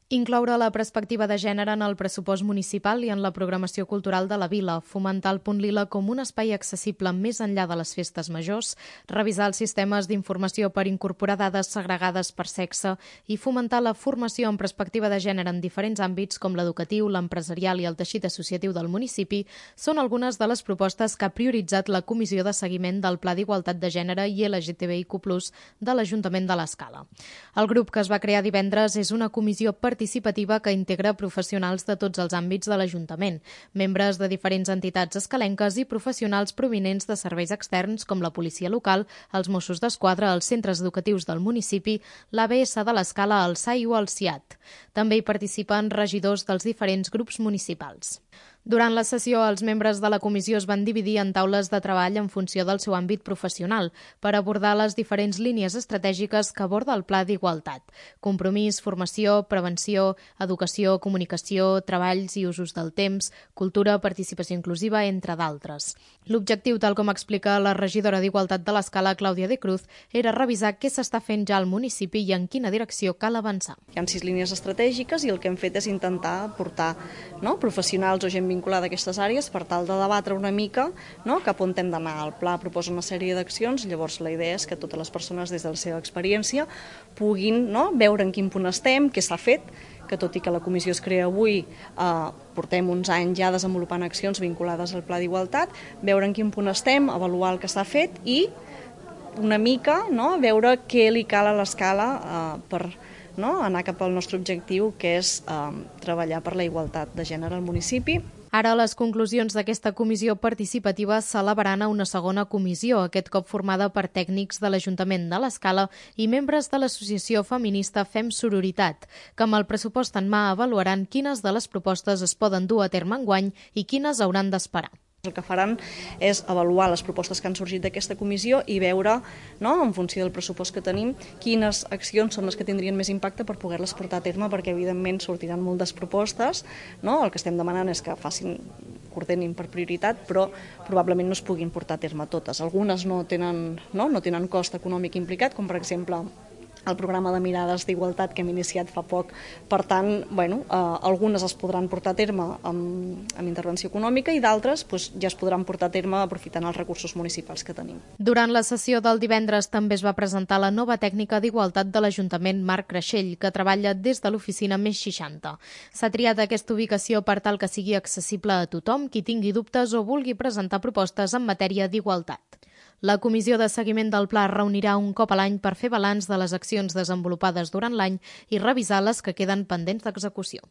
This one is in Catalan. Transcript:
Incloure la perspectiva de gènere en el pressupost municipal i en la programació cultural de la vila, fomentar el Punt Lila com un espai accessible més enllà de les festes majors, revisar els sistemes d'informació per incorporar dades segregades per sexe i fomentar la formació en perspectiva de gènere en diferents àmbits com l'educatiu, l'empresarial i el teixit associatiu del municipi són algunes de les propostes que ha prioritzat la Comissió de Seguiment del Pla d'Igualtat de Gènere i LGTBIQ+, de l'Ajuntament de l'Escala. El grup que es va crear divendres és una comissió participativa que integra professionals de tots els àmbits de l'Ajuntament, membres de diferents entitats escalenques i professionals provinents de serveis externs com la policia local, els Mossos d'Esquadra, els centres educatius del municipi, l'ABS de l'Escala, el SAI o el CIAT. També hi participen regidors dels diferents grups municipals. Durant la sessió, els membres de la comissió es van dividir en taules de treball en funció del seu àmbit professional per abordar les diferents línies estratègiques que aborda el Pla d'Igualtat: compromís, formació, prevenció, educació, comunicació, treballs i usos del temps, cultura, participació inclusiva, entre d'altres. L'objectiu, tal com explica la regidora d'Igualtat de l'Escala, Clàudia de Cruz, era revisar què s'està fent ja al municipi i en quina direcció cal avançar. Hi ha 6 línies estratègiques i el que hem fet és intentar portar professionals o gent vinculada a aquestes àrees per tal de debatre una mica cap on hem d'anar. El pla proposa una sèrie d'accions, llavors la idea és que totes les persones des de la seva experiència puguin veure en quin punt estem, què s'ha fet, que tot i que la comissió es crea avui, portem uns anys ja desenvolupant accions vinculades al Pla d'Igualtat, veure en quin punt estem, avaluar el que s'ha fet i una mica veure què li cal a l'Escala per anar cap al nostre objectiu, que és treballar per la igualtat de gènere al municipi. Ara les conclusions d'aquesta comissió participativa s'elevaran a una segona comissió, aquest cop formada per tècnics de l'Ajuntament de l'Escala i membres de l'associació feminista Fem Sororitat, que amb el pressupost en mà avaluaran quines de les propostes es poden dur a terme enguany i quines hauran d'esperar. El que faran és avaluar les propostes que han sorgit d'aquesta comissió i veure, en funció del pressupost que tenim, quines accions són les que tindrien més impacte per poder-les portar a terme, perquè evidentment sortiran moltes propostes. El que estem demanant és que ordenin per prioritat, però probablement no es puguin portar a terme totes. Algunes no tenen cost econòmic implicat, com per exemple el programa de mirades d'igualtat que hem iniciat fa poc. Per tant, algunes es podran portar a terme amb intervenció econòmica i d'altres ja es podran portar a terme aprofitant els recursos municipals que tenim. Durant la sessió del divendres també es va presentar la nova tècnica d'igualtat de l'Ajuntament Marc Creixell, que treballa des de l'oficina Més 60. S'ha triat aquesta ubicació per tal que sigui accessible a tothom qui tingui dubtes o vulgui presentar propostes en matèria d'igualtat. La Comissió de Seguiment del Pla es reunirà un cop a l'any per fer balanç de les accions desenvolupades durant l'any i revisar les que queden pendents d'execució.